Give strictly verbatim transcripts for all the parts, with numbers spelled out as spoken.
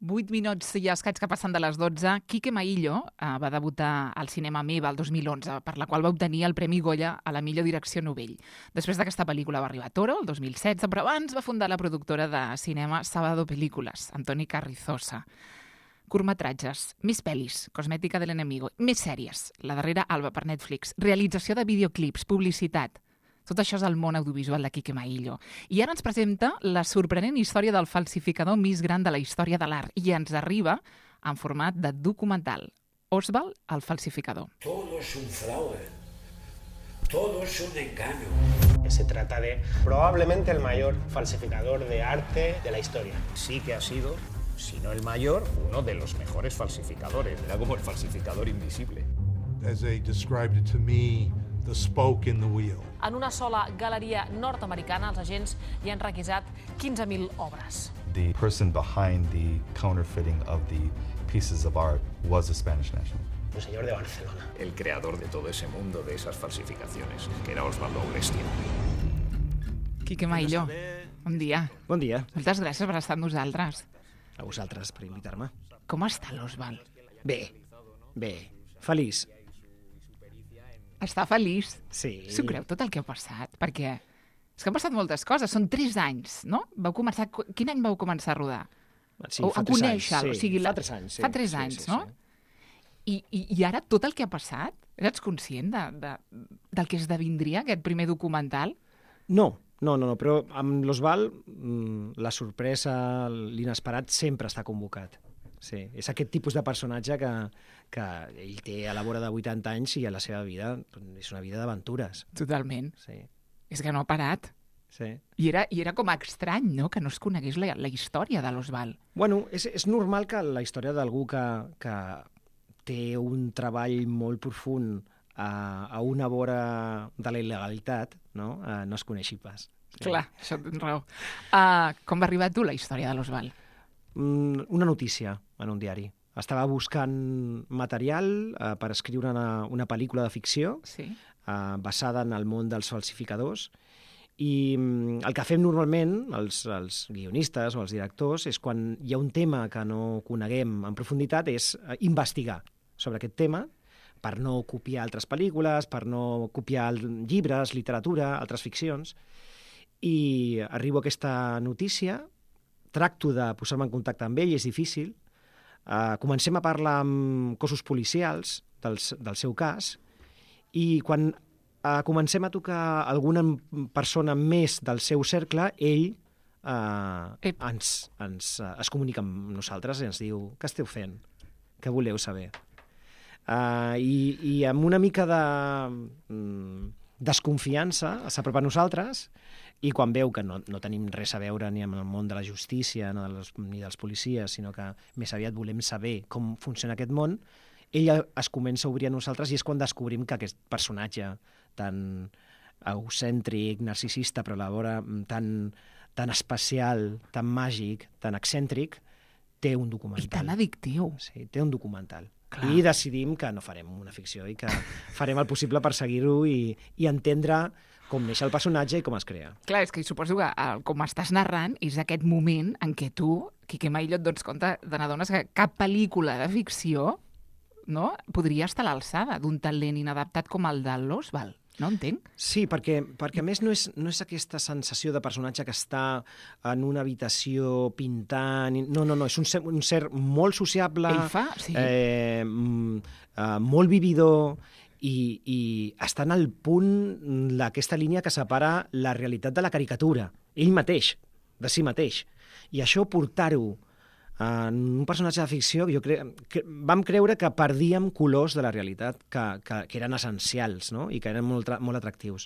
vuit minuts i escaig que passen de les dotze. Quique Maillo eh, va debutar al cinema Meva el dos mil onze, per la qual va obtenir el Premi Goya a la millor direcció novell. Després d'aquesta pel·lícula va arribar Toro, el dos mil setze, però abans va fundar la productora de cinema Sábado Películas, Antoni Carrizosa. Curtmetratges, més pel·lis, Cosmètica de l'enemigo, més sèries, la darrera Alba per Netflix, realització de videoclips, publicitat. Tot això és el món audiovisual de Quique Maillo. I ara ens presenta la sorprenent història del falsificador més gran de la història de l'art i ens arriba en format de documental. Oswald, el falsificador. Todo es un fraude. Todo es un engaño. Se trata de probablemente el mayor falsificador de arte de la historia. Sí que ha sido, si no el mayor, uno de los mejores falsificadores. Era como el falsificador invisible. As they described it to me, the spoke in the wheel. En una sola galeria nord-americana, els agents hi han requisat quinze mil obres. The person behind the counterfeiting of the pieces of art was a Spanish national. Un señor de Barcelona. El creador de todo ese mundo de esas falsificaciones, que era Osvaldo Aulestia. Quique Maillo, bon dia. Bon dia. Moltes gràcies per estar amb nosaltres. A vosaltres per invitar-me. Com està l'Oswald? Bé, bé. Feliç. Està feliç? Sí. S'ho creu tot el que ha passat? Perquè és que han passat moltes coses. Són tres anys, no? Vau començar... Quin any vau començar a rodar? Sí, o fa a tres anys. conèixer-lo? Sí, o sigui, fa la... tres anys. Sí. Fa tres sí, anys, sí, no? Sí. I, i, I ara tot el que ha passat, eres conscient de, de, del que esdevindria aquest primer documental? No, no, no, no, però amb l'Oswald la sorpresa, l'inesperat sempre està convocat. Sí, és aquest tipus de personatge que, que ell té a la vora de vuitanta anys i a la seva vida és una vida d'aventures. Totalment. Sí. És que no ha parat. Sí. I era, I era com estrany, no?, que no es conegués la, la història de l'Oswald. Bueno, és, és normal que la història d'algú que, que té un treball molt profund a, a una vora de la il·legalitat, no, uh, no es coneixi pas. Sí. Clar, això tens raó. Uh, com va arribar a tu la història de l'Oswald? Una notícia en un diari. Estava buscant material uh, per escriure una, una pel·lícula de ficció sí. uh, basada en el món dels falsificadors i um, el que fem normalment, els, els guionistes o els directors, és quan hi ha un tema que no coneguem en profunditat, és uh, investigar sobre aquest tema per no copiar altres pel·lícules, per no copiar llibres, literatura, altres ficcions. I arribo a aquesta notícia, tracto de posar-me en contacte amb ell, és difícil. Uh, comencem a parlar amb cossos policials del, del seu cas i quan uh, comencem a tocar alguna persona més del seu cercle, ell uh, ens, ens, uh, es comunica amb nosaltres i ens diu: què esteu fent? Què voleu saber? Uh, i, I amb una mica de um, desconfiança s'apropa a nosaltres i quan veu que no, no tenim res a veure ni amb el món de la justícia ni, de les, ni dels policies, sinó que més aviat volem saber com funciona aquest món, ella es comença a obrir a nosaltres i és quan descobrim que aquest personatge tan egocèntric, narcisista, però alhora tan, tan especial, tan màgic, tan excèntric, té un documental. I tan addictiu. Sí, té un documental. Clar. I decidim que no farem una ficció i que farem el possible per seguir-ho i, i entendre com neix el personatge i com es crea. Clar, és que suposo que el, com estàs narrant és aquest moment en què tu, Quique Maillo, et dones compte, te n'adones que cap pel·lícula de ficció, no, podria estar a l'alçada d'un talent inadaptat com el de l'Oswald. No entenc? Sí, perquè, perquè a més no és, no és aquesta sensació de personatge que està en una habitació pintant... No, no, no, és un ser, un ser molt sociable, Ell fa, sí. eh, eh, molt vividor i, i està en el punt d'aquesta línia que separa la realitat de la caricatura. Ell mateix, de si mateix. I això portar-ho en un personatge de ficció, jo cre... que vam creure que perdíem colors de la realitat que, que, que eren essencials, no? I que eren molt, molt atractius.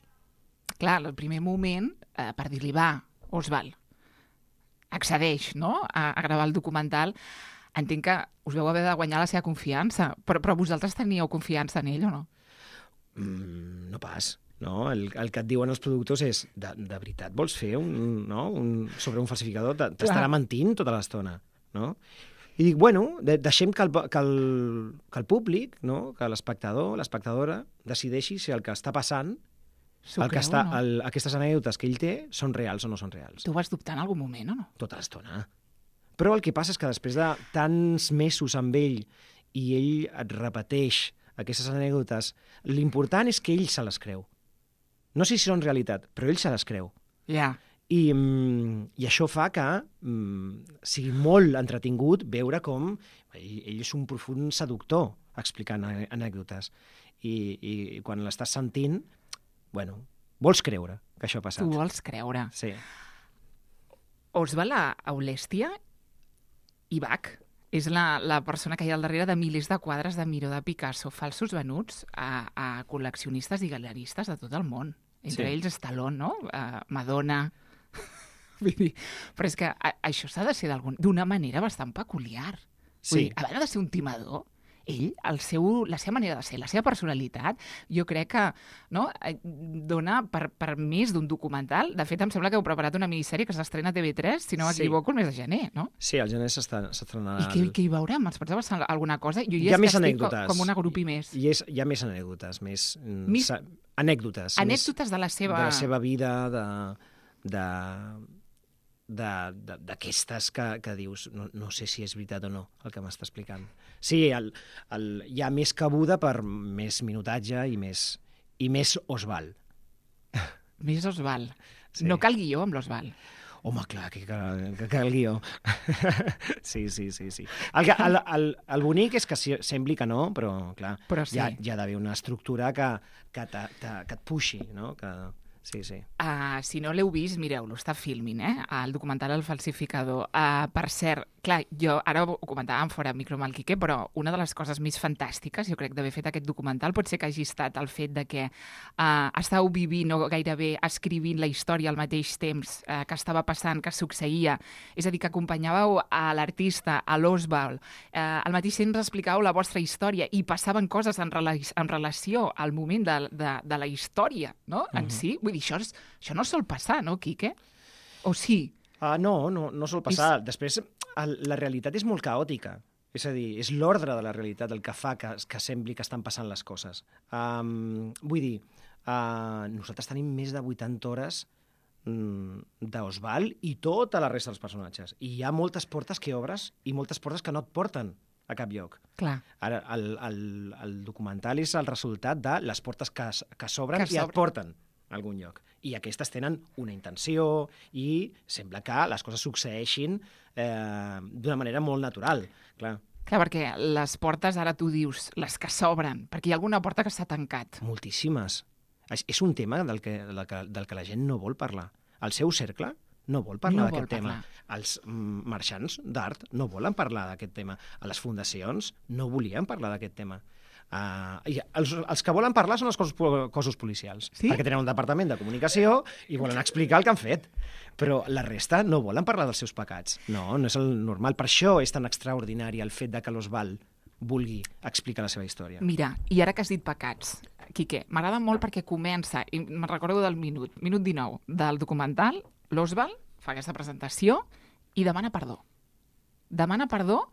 Clar, el primer moment, eh, per dir-li, va, Oswald, accedeix, no?, a, a gravar el documental, entenc que us veu haver de guanyar la seva confiança, però, però vosaltres teníeu confiança en ell o no? Mm, no pas. No? El, el que et diuen els productors és de, de veritat vols fer un, no? un, sobre un falsificador? T'estarà mentint tota l'estona. No? I dic, bueno, de, deixem que el, que el, que el públic, no? Que l'espectador, l'espectadora, decideixi si el que està passant, el que creu, està, no? el, aquestes anècdotes que ell té, són reals o no són reals. Tu vas dubtar en algun moment o no? Tota l'estona. Però el que passa és que després de tants mesos amb ell i ell et repeteix aquestes anècdotes, l'important és que ell se les creu. No sé si són realitat, però ell se les creu. Ja. Yeah. I, I això fa que mm, sigui molt entretingut veure com ell, ell és un profund seductor explicant anècdotes. I, i quan l'estàs sentint, bueno, vols creure que això ha passat. Tu vols creure. Sí. Osvald Aulèstia i Bach és la, la persona que hi ha al darrere de milers de quadres de Miró de Picasso, falsos venuts a, a col·leccionistes i galeristes de tot el món. Entre sí. ells Stallone, no? Uh, Madonna. Vull dir, però és que a, això s'ha de ser d'una manera bastant peculiar. Sí. Vull dir, a banda de ser un timador, ell, el seu, la seva manera de ser, la seva personalitat, jo crec que no, dona per, per més d'un documental. De fet, em sembla que heu preparat una minissèrie que s'estrena a T V tres, si no m'equivoco, sí. el mes de gener, no? Sí, al gener s'estrenarà. I què, què hi veurem? Ens pots avançar alguna cosa? Jo hi ha més estic anècdotes. Com una grupi més. Hi, és, hi ha més anècdotes, més... Mis... Anècdotes. Anècdotes més, de la seva... De la seva vida, de... de d'aquestes que, que dius, no, no sé si és veritat o no el que m'està explicant. Sí, el, el, hi ha més cabuda per més minutatge i més, i més Osvald. Més Osvald. Sí. No cal guió amb l'Osvald. Home, clar, que, que, que cal guió. Sí, sí, sí. sí. El, el, el, el bonic és que sembli que no, però clar, però sí. hi ha, hi ha d'haver una estructura que, que, te, te, que et puixi, no? Que... Sí, sí. Uh, si no l'heu vist, mireu-lo, està filming, eh? El documental El falsificador. Uh, per cert, clar, jo ara ho comentàvem fora micro amb el Quique, però una de les coses més fantàstiques, jo crec, d'haver fet aquest documental pot ser que hagi estat el fet de que uh, estàveu vivint o gairebé escrivint la història al mateix temps uh, que estava passant, que succeïa. És a dir, que acompanyàveu a l'artista, a l'Osvald, uh, al mateix temps explicàveu la vostra història i passaven coses en, rela en relació al moment de, de, de la història, no? En uh-huh. si. Vull dir, això, és, això no sol passar, no, Quique? O sí? Uh, no, no, no sol passar. És... Després, el, la realitat és molt caòtica. És a dir, és l'ordre de la realitat el que fa que, que sembli que estan passant les coses. Um, vull dir, uh, nosaltres tenim més de vuitanta hores um, d'Osvald i tota la resta dels personatges. I hi ha moltes portes que obres i moltes portes que no et porten a cap lloc. Clar. Ara, el, el, el documental és el resultat de les portes que, que s'obren i et porten a algun lloc. I aquestes tenen una intenció i sembla que les coses succeeixin eh, d'una manera molt natural. Clar. Clar, perquè les portes, ara tu dius, les que s'obren, perquè hi ha alguna porta que s'ha tancat. Moltíssimes. És, és un tema del que, del, que, del que la gent no vol parlar. El seu cercle no vol parlar no d'aquest tema. Parlar. Els mm, marxants d'art no volen parlar d'aquest tema. A les fundacions no volien parlar d'aquest tema. Uh, i els, els que volen parlar són els cossos, cossos policials, sí? perquè tenen un departament de comunicació i volen explicar el que han fet. Però la resta no volen parlar dels seus pecats. No, no és el normal. Per això és tan extraordinari el fet de que l'Osvald vulgui explicar la seva història. Mira, i ara que has dit pecats, Quique, m'agrada molt perquè comença, i me'n recordo del minut, minut dinou del documental, l'Osvald fa aquesta presentació i demana perdó. Demana perdó,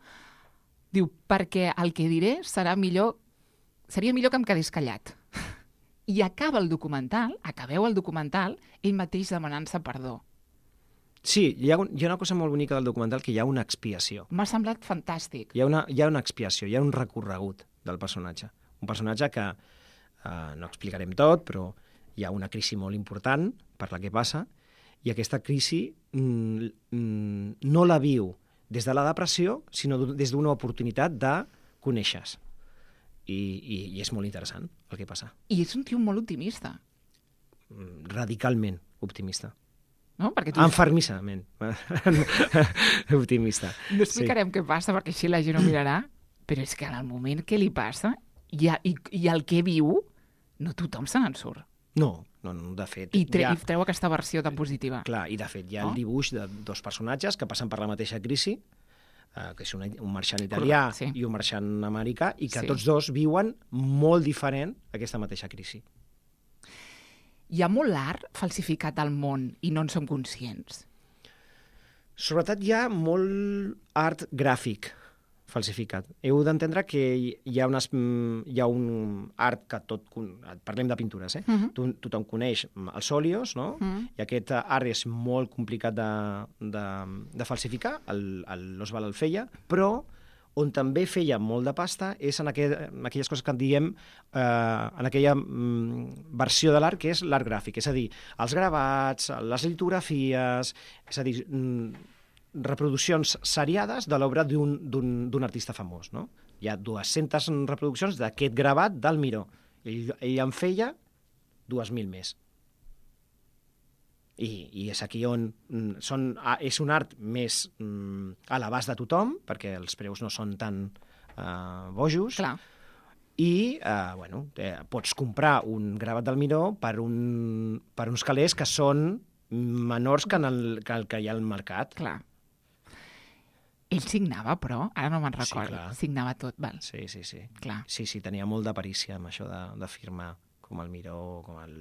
diu, perquè el que diré serà millor, seria millor que em quedés callat. I acaba el documental, acabeu el documental, ell mateix demanant-se perdó. Sí, hi ha, un, hi ha una cosa molt bonica del documental, que hi ha una expiació. M'ha semblat fantàstic. Hi ha, una, hi ha una expiació, hi ha un recorregut del personatge. Un personatge que eh, no explicarem tot, però hi ha una crisi molt important per la que passa, i aquesta crisi mm, mm, no la viu des de la depressió, sinó des d'una oportunitat de conèixer-se. I, i, I és molt interessant el que passa. I és un tio molt optimista. Radicalment optimista. No? Perquè tu... Enfermissament optimista. No explicarem sí. què passa, perquè així la gent ho mirarà, però és que en el moment que li passa i, i, i el que viu, no tothom se n'en surt. No, no, no, de fet... I, tre ha... I treu aquesta versió tan positiva. Clar, i de fet hi ha no? el dibuix de dos personatges que passen per la mateixa crisi, eh, que és un, un marxant italià sí. i un marxant americà, i que sí. tots dos viuen molt diferent aquesta mateixa crisi. Hi ha molt art falsificat al món i no en som conscients. Sobretot hi ha molt art gràfic falsificat. Heu d'entendre que hi ha, unes, hi ha un art que tot... Parlem de pintures, eh? Uh-huh. To, tothom coneix els òleos, no? Uh-huh. I aquest art és molt complicat de, de, de falsificar, l'Oswald el feia, però on també feia molt de pasta és en, aquell, en aquelles coses que en diem, eh, en aquella mm, versió de l'art que és l'art gràfic, és a dir, els gravats, les litografies, és a dir, mm, reproduccions seriades de l'obra d'un artista famós. No? Hi ha dues-centes reproduccions d'aquest gravat del Miró. Ell, ell en feia dues mil més. I, i és aquí on són, és un art més mm, a l'abast de tothom, perquè els preus no són tan uh, bojos. Clar. I eh, bueno, eh, pots comprar un gravat del Miró per, un, per uns calés que són menors que, en el, que el que hi ha al mercat. Clar. Ell signava, però, ara no me'n recordo. Sí, signava tot, val. Sí, sí, sí. Clar. Sí, sí, tenia molt de perícia amb això de, de firmar, com el Miró, com el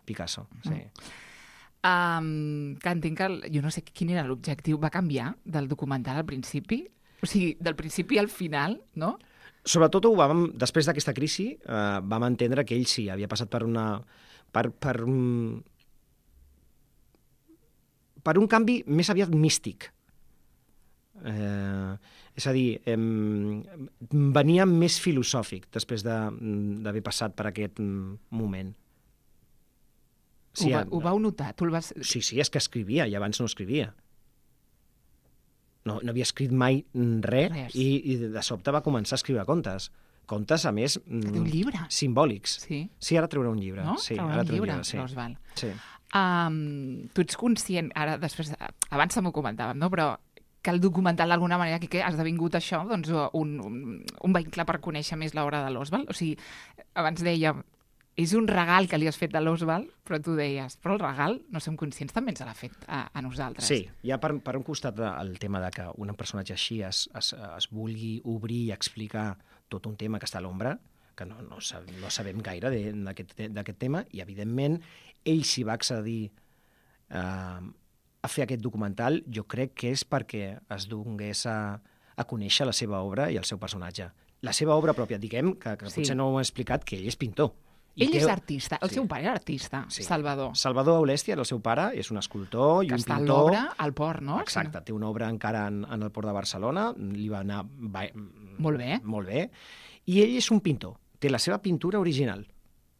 Picasso. Sí. Mm. Um, que entenc que, jo no sé quin era l'objectiu, va canviar del documental al principi? O sigui, del principi al final, no? Sobretot ho vam, després d'aquesta crisi, eh, vam entendre que ell sí, havia passat per una... per, per, un, per un canvi més aviat místic. Eh, és a dir, eh, venia més filosòfic després d'haver passat per aquest moment. Sí, ho, va, ho vau notar? Tu el vas... Sí, sí, és que escrivia, i abans no escrivia. No, no havia escrit mai res, res. I, i de sobte va començar a escriure contes. Contes, a més, un llibre. Simbòlics. Sí. Sí, ara treurà un llibre. No? Sí, treurà ara un llibre, sí. Oswald. Sí. Um, tu ets conscient, ara després, abans m'ho comentàvem, no? Però que el documental d'alguna manera que ha esdevingut això, doncs un, un, un vehicle per conèixer més l'obra de l'Oswald. O sigui, abans dèiem, és un regal que li has fet a l'Oswald, però tu deies, però el regal, no som conscients, també ens l'ha fet a, a nosaltres. Sí, hi ha per, per un costat el tema de que un personatge així es, es, es vulgui obrir i explicar tot un tema que està a l'ombra, que no, no, sab, no sabem gaire d'aquest tema, i evidentment ell s'hi va accedir eh, a fer aquest documental, jo crec que és perquè es donés a, a conèixer la seva obra i el seu personatge. La seva obra pròpia, diguem, que, que sí. Potser no ho he explicat, que ell és pintor. Ell que... és artista, el sí. seu pare era artista, sí. Salvador. Salvador Aulèstia era el seu pare, és un escultor i que un pintor. Que està pintor. l'obra al port, no? Exacte, té una obra encara en, en el port de Barcelona, li va anar... Va... Molt bé. Molt bé. I ell és un pintor, té la seva pintura original,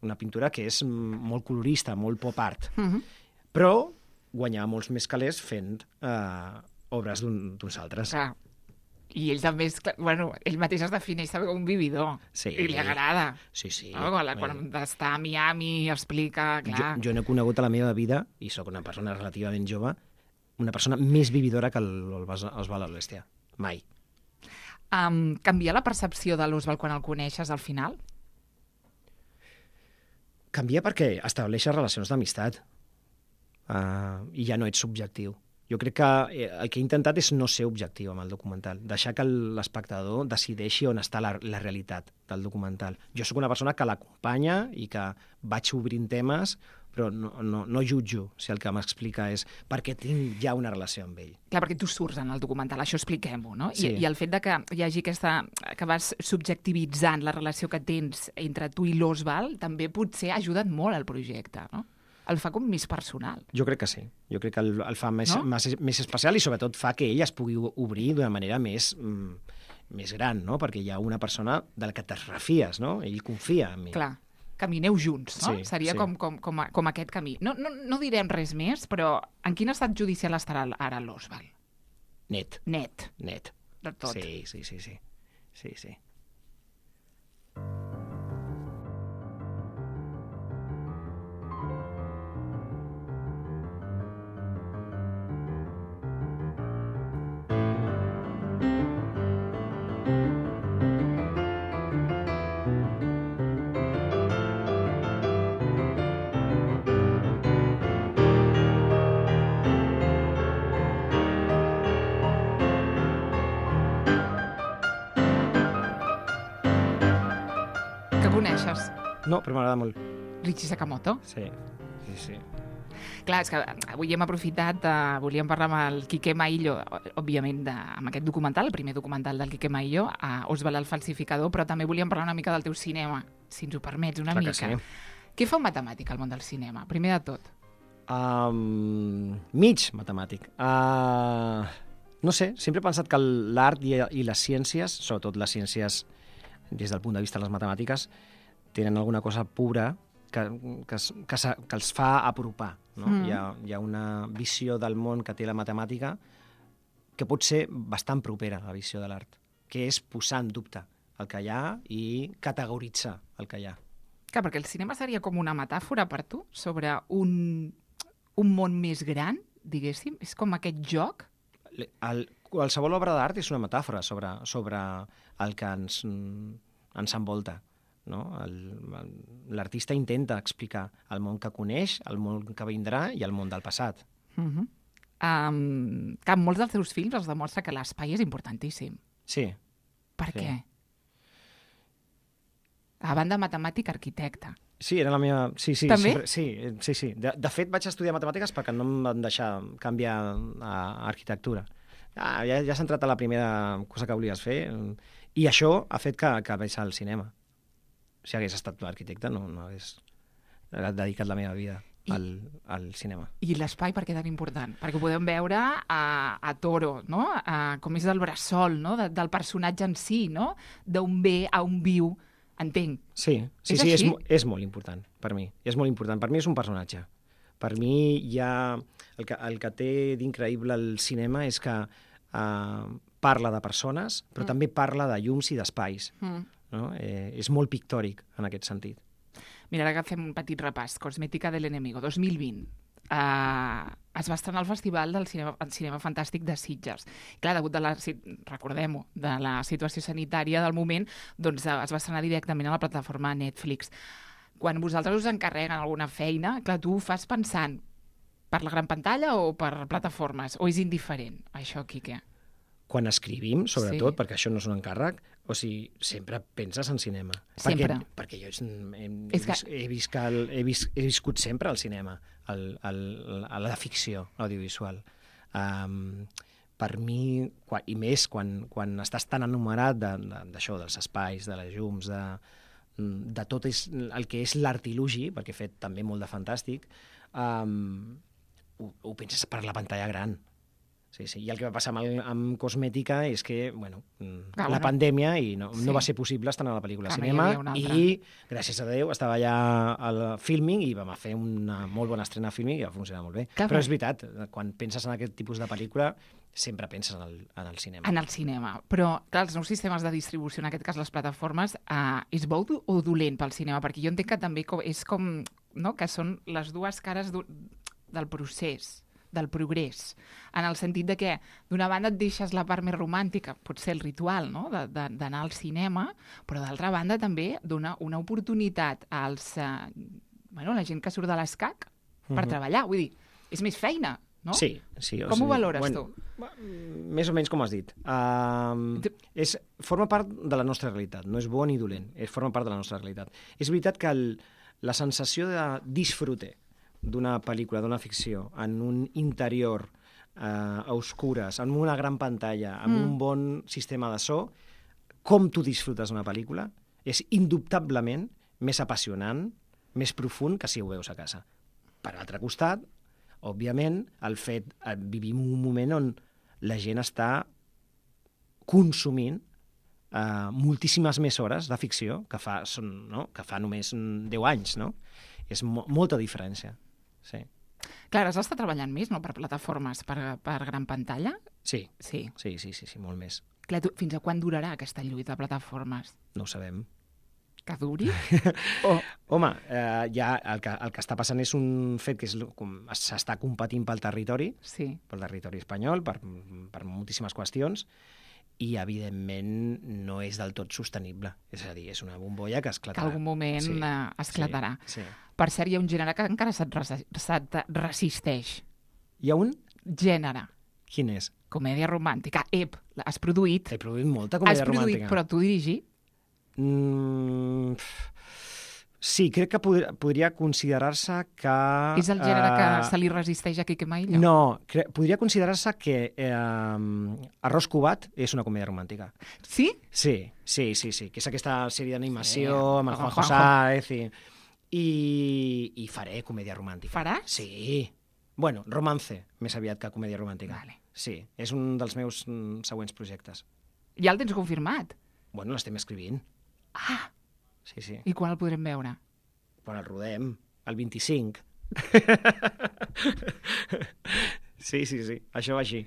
una pintura que és molt colorista, molt pop art, uh -huh. però guanyava molts més calés fent eh, obres d'uns altres. Clar. I ell també és... Bueno, ell mateix es defineix com un vividor. Sí. I li agrada. Sí, sí. No? Quan, quan està a Miami explica... Clar. Jo, jo no he conegut a la meva vida, i sóc una persona relativament jove, una persona més vividora que l'Oswald Aulèstia. Mai. Um, canvia la percepció de l'Oswald quan el coneixes al final? Canvia perquè estableixes relacions d'amistat. Uh, I ja no ets subjectiu. Jo crec que el que he intentat és no ser objectiu amb el documental, deixar que l'espectador decideixi on està la, la realitat del documental. Jo sóc una persona que l'acompanya i que vaig obrint temes, però no, no, no jutjo si el que m'explica és perquè tinc ja una relació amb ell. Clar, perquè tu surts en el documental, això expliquem-ho, no? Sí. I, I el fet de que hi hagi aquesta... que vas subjectivitzant la relació que tens entre tu i l'Oswald també potser ha ajudat molt al projecte, no? El fa com més personal. Jo crec que sí. Jo crec que el, el fa més, no? més, més especial i sobretot fa que ell es pugui obrir d'una manera més, mm, més gran, no? Perquè hi ha una persona de la que te refies, no? Ell confia en mi. Clar. Camineu junts, no? Sí, Seria sí. com, com, com, a, com aquest camí. No, no, no direm res més, però en quin estat judicial estarà ara l'Oswald? Net. Net. Net. De tot. Sí, sí, sí, sí. Sí, sí. Que coneixes? No, però m'agrada molt. Richie Sakamoto? Sí, sí, sí. Clar, és que avui hem aprofitat, uh, volíem parlar amb el Quique Maillo, òbviament, de, amb aquest documental, el primer documental del Quique Maillo, a Oswald el falsificador, però també volíem parlar una mica del teu cinema, si ens ho permets, una Clar que mica. sí. Què fa un matemàtic al món del cinema, primer de tot? Um, mig matemàtic. Uh, no sé, sempre he pensat que l'art i, i les ciències, sobretot les ciències des del punt de vista de les matemàtiques, tenen alguna cosa pura que, que, que, que els fa apropar. No? Mm. Hi, ha, hi ha una visió del món que té la matemàtica que pot ser bastant propera a la visió de l'art, que és posar en dubte el que hi ha i categoritzar el que hi ha. Clar, perquè el cinema seria com una metàfora per tu sobre un, un món més gran, diguéssim? És com aquest joc? El, qualsevol obra d'art és una metàfora sobre, sobre el que ens, ens envolta. No? L'artista intenta explicar el món que coneix, el món que vindrà i el món del passat. Uh-huh. um, que en molts dels teus films es demostra que l'espai és importantíssim. Sí. Per sí. què? A banda matemàtic, arquitecte. Sí, era la meva... Sí, sí, També? sí, sí, sí, sí. De, de fet, vaig estudiar matemàtiques perquè no em van deixar canviar a arquitectura. Ah, ja ja has entrat a la primera cosa que volies fer i això ha fet que, que vaig al cinema. Si hagués estat arquitecte, no, no hagués dedicat la meva vida I, al, al cinema. I l'espai per què tan important? Perquè ho podem veure a, a Toro, no? A, com és el bressol, no? De, del personatge en si, no? D'on ve a on viu, entenc. Sí, sí, és sí és, així? és molt important per mi. És molt important. Per mi és un personatge. Per mi hi ha... El que, el que té d'increïble el cinema és que uh, parla de persones, però mm. també parla de llums i d'espais. Mm. No? Eh, és molt pictòric en aquest sentit. Mira, ara que fem un petit repàs. Cosmética del enemigo, dos mil vint. Uh, es va estrenar al Festival del Cinema, Cinema Fantàstic de Sitges. Clar, degut de la, recordem-ho, de la situació sanitària del moment, doncs uh, es va estrenar directament a la plataforma Netflix. Quan vosaltres us encarreguen alguna feina, clar, tu ho fas pensant per la gran pantalla o per plataformes? O és indiferent, això, Quique? Quan escrivim, sobretot, sí. perquè això no és un encàrrec, o sigui, sempre penses en cinema. Sempre. Perquè, perquè jo he, he, és que... he, vist que el, he, vist, he viscut sempre al cinema, el, el, a la ficció audiovisual. Um, per mi, quan, i més quan, quan estàs tan enumerat d'això, de, de, dels espais, de les llums, de, de tot és, el que és l'artilugi, perquè he fet també molt de fantàstic, um, ho, ho penses per la pantalla gran. Sí, sí. I el que va passar amb, el, amb Cosmética és que, bueno, ah, la bueno. pandèmia i no, sí. no va ser possible estrenar la pel·lícula al cinema i, gràcies a Déu, estava allà al filming i vam fer una molt bona estrena a filming i va funcionar molt bé. Clar, però és veritat, quan penses en aquest tipus de pel·lícula sempre penses en el, en el cinema. En el cinema. Però, clar, els nous sistemes de distribució, en aquest cas les plataformes, eh, és bo o dolent pel cinema? Perquè jo entenc que també és com, no?, que són les dues cares del procés, del progrés, en el sentit de que d'una banda et deixes la part més romàntica, potser el ritual, no?, d'anar al cinema, però d'altra banda també dona una oportunitat als, eh, bueno, la gent que surt de l'escac per uh-huh. treballar, vull dir, és més feina, no? Sí, sí. Com o sigui, ho valores bueno, tu? Més o menys com has dit. Uh, és, forma part de la nostra realitat, no és bo ni dolent, és, forma part de la nostra realitat. És veritat que el, la sensació de disfrute d'una pel·lícula, d'una ficció, en un interior eh, a oscures, en una gran pantalla, amb mm. un bon sistema de so, com tu disfrutes una pel·lícula, és indubtablement més apassionant, més profund que si ho veus a casa. Per l'altre costat, òbviament, el fet, eh, vivim un moment on la gent està consumint eh, moltíssimes més hores de ficció que fa, són, no? que fa només deu anys, no? És mo molta diferència. Sí. Clar, has d'estar treballant més, no?, per plataformes, per, per gran pantalla? Sí. Sí. Sí, sí, sí, sí, molt més. Clar, tu, fins a quan durarà aquesta lluita de plataformes? No ho sabem. Que duri? oh. Home, eh, ja el que, el que està passant és un fet que s'està competint pel territori, sí. pel territori espanyol, per, per moltíssimes qüestions, i, evidentment, no és del tot sostenible. És a dir, és una bombolla que esclatarà. Que algun moment sí. uh, esclatarà. Sí, sí. Per cert, hi ha un gènere que encara se't, res se't resisteix. Hi ha un? Gènere. Quin és? Comèdia romàntica. Ep, has produït. He produït molta comèdia has produït, romàntica. Però tu dirigir? Mm, Sí, crec que pod podria considerar-se que... És el gènere que eh, se li resisteix a Quique Maillo? No, cre podria considerar-se que eh, Arròs Cubat és una comèdia romàntica. Sí? Sí, sí, sí, sí, que és aquesta sèrie d'animació Sí, amb el amb Juanjo Juanjo. Sáez i, i, i faré comèdia romàntica. Faràs? Sí. Bueno, romance, més aviat que comèdia romàntica. Vale. Sí, és un dels meus mm, següents projectes. Ja el tens confirmat? Bueno, l'estem escrivint. Ah, Sí, sí. i quan el podrem veure? Quan el rodem, el vint-i-cinc. Sí, sí, sí, això va així.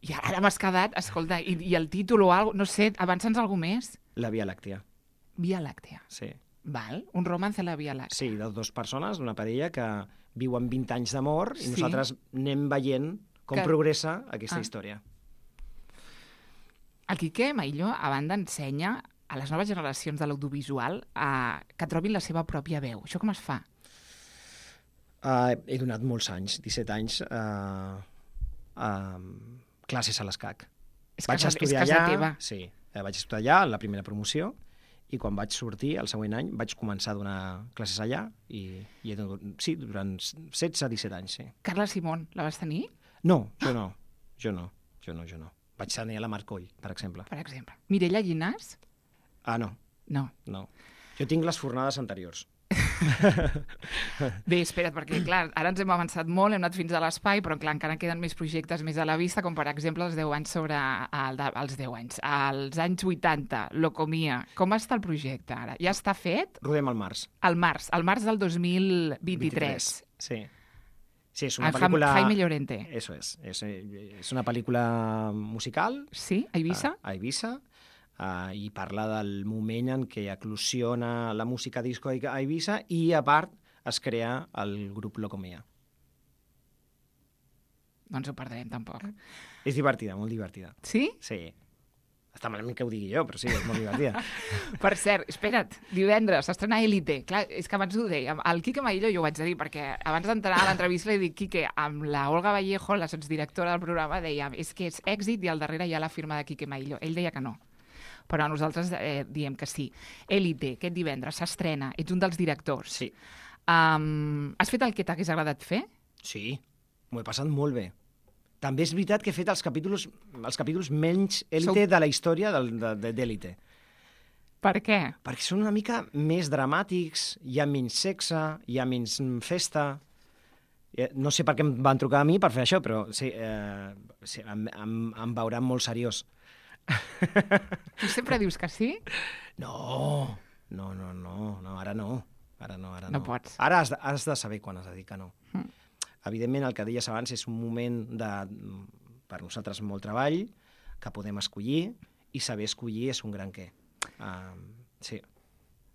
I ara m'has quedat, escolta, i, i el títol o alguna cosa, no sé, avança'ns alguna més? La Via Làctea, Via Làctea. sí. Val? Un romance a la Via Làctea. Sí, de dues persones, d'una parella que viuen vint anys d'amor i Sí. nosaltres anem veient com Que- progressa aquesta Ah. història. El Quique Maillo, a banda, ensenya a les noves generacions de l'audiovisual a... que trobin la seva pròpia veu. Això com es fa? Uh, he donat molts anys, disset anys, uh, uh, classes a l'ESCAC. És Vaig casa, és estudiar casa allà, teva. Sí, eh, vaig estudiar allà en la primera promoció i quan vaig sortir, el següent any, vaig començar a donar classes allà i, i he donat, sí, durant setze disset anys, sí. Carla Simón, la vas tenir, No, jo no, jo no, jo no, jo no. Vaig tenir a la Marcoll, per exemple. per exemple? Mireia Llinàs? Ah, no, No. no. Jo tinc les fornades anteriors. Bé, espera't, perquè clar, ara ens hem avançat molt, hem anat fins a l'espai, però clar, encara queden més projectes més a la vista, com per exemple els deu anys sobre... El de, els deu anys. Als anys vuitanta, Locomia. Com està el projecte ara? Ja està fet? Rodem al març. Al març, al març del dos mil vint-i-tres. Sí. Sí, és una Amb pel·lícula... Jaime Llorente. Eso es. És, és una pel·lícula musical Sí? A Eivissa? a, a Eivissa uh, i parla del moment en què eclosiona la música disco a Eivissa i, a part, es crea el grup Locomia. No ens ho perdrem, tampoc. És divertida, molt divertida. Sí? Sí. Està malament que ho digui jo, però sí, és molt divertida. Per cert, espera't, divendres s'estrena Élite. Clar, és que abans ho dèiem, el Quique Maillo jo ho vaig dir, perquè abans d'entrar a l'entrevista li dic, Quique, amb la Olga Vallejo, la sotsdirectora del programa, dèiem, és que és èxit i al darrere hi ha la firma de Quique Maillo. Ell deia que no, però nosaltres eh, diem que sí. Élite, aquest divendres, s'estrena, ets un dels directors. Sí. Um, has fet el que t'hagués agradat fer? Sí, m'ho he passat molt bé. També és veritat que he fet els capítols, els capítols menys élite Sou- de la història del- de- de- d'élite. Per què? Perquè són una mica més dramàtics, hi ha menys sexe, hi ha menys mm, festa. Eh, No sé per què em van trucar a mi per fer això, però sí, eh, sí em, em, em veuran molt seriós. Tu sempre dius que sí? No, no, no, no, no, ara no. Ara no, ara no. No pots. Ara has de, has de saber quan has de dir que no. Mm. Evidentment, el que deies abans és un moment de, per nosaltres, molt treball, que podem escollir, i saber escollir és un gran què. Uh, sí.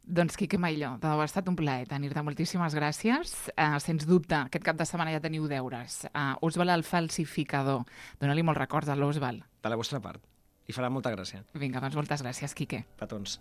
Doncs, Quique Maillo, de debò ha estat un plaer tenir-te. Moltíssimes gràcies. Uh, sens dubte, aquest cap de setmana ja teniu deures. Uh, Oswald el falsificador. Dóna-li molts records a l'Oswald. De la vostra part. I farà molta gràcia. Vinga, doncs moltes gràcies, Quique. Petons.